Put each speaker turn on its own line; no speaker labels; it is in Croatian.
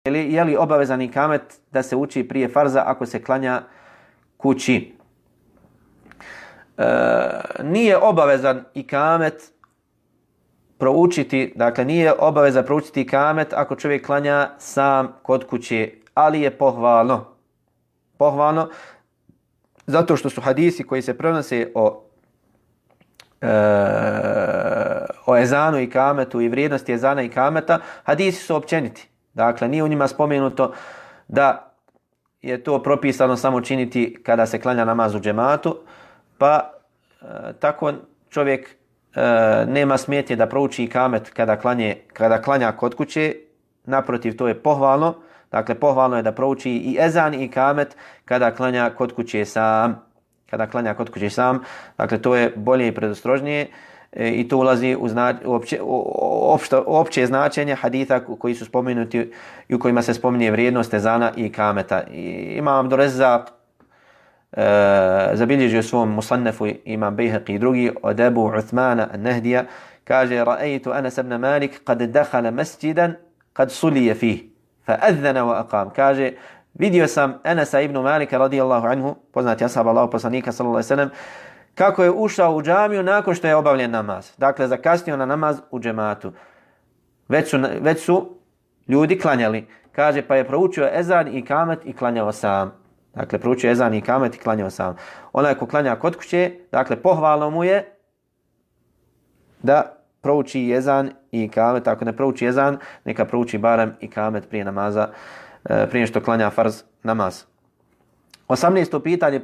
je li obavezan ikamet da se uči prije farza ako se klanja kući? Nije obavezan ikamet proučiti, dakle nije obaveza proučiti ikamet ako čovjek klanja sam kod kuće, ali je pohvalno zato što su hadisi koji se prenose o ezanu i ikametu i vrijednosti ezana i ikameta, hadisi su općeniti. Dakle, nije u njima spomenuto da je to propisano samo činiti kada se klanja namaz u džematu, pa tako čovjek nema smetnje da prouči ikamet kada klanja kod kuće. Naprotiv, to je pohvalno. Dakle, pohvalno je da prouči i ezan i ikamet kada klanja kod kuće sam. Dakle, to je bolje i predostrožnije i to ulazi u opće značenje haditha koji su spomenuti i u kojima se spominje vrijednost ezana i ikameta. Imam Abdur Rezzaq zabilježio u svom Musannefu, Imam Bejhaqi i drugi, od Ebu Uthmana an-Nahdija, kaže: Ra'aytu Anas ibn Malik kad dakhala masjidan kad sulije fih fa adhana wa aqam. Kaže, vidio sam Anasa ibn Malika radijallahu anhu, poznati ashab Allahov poslanika sallallahu alejhi ve sellem, kako je ušao u džamiju nakon što je obavljen namaz. Dakle, zakasnio na namaz u džematu. Već su ljudi klanjali. Kaže, pa je proučio ezan i ikamet i klanjao sam. Dakle, proučio ezan i ikamet i klanjao sam. Onaj ko klanja kod kuće, dakle, pohvalno mu je da prouči ezan i ikamet. Ako ne prouči ezan, neka prouči barem ikamet prije namaza, prije što klanja farz namaz. 18. pitanje.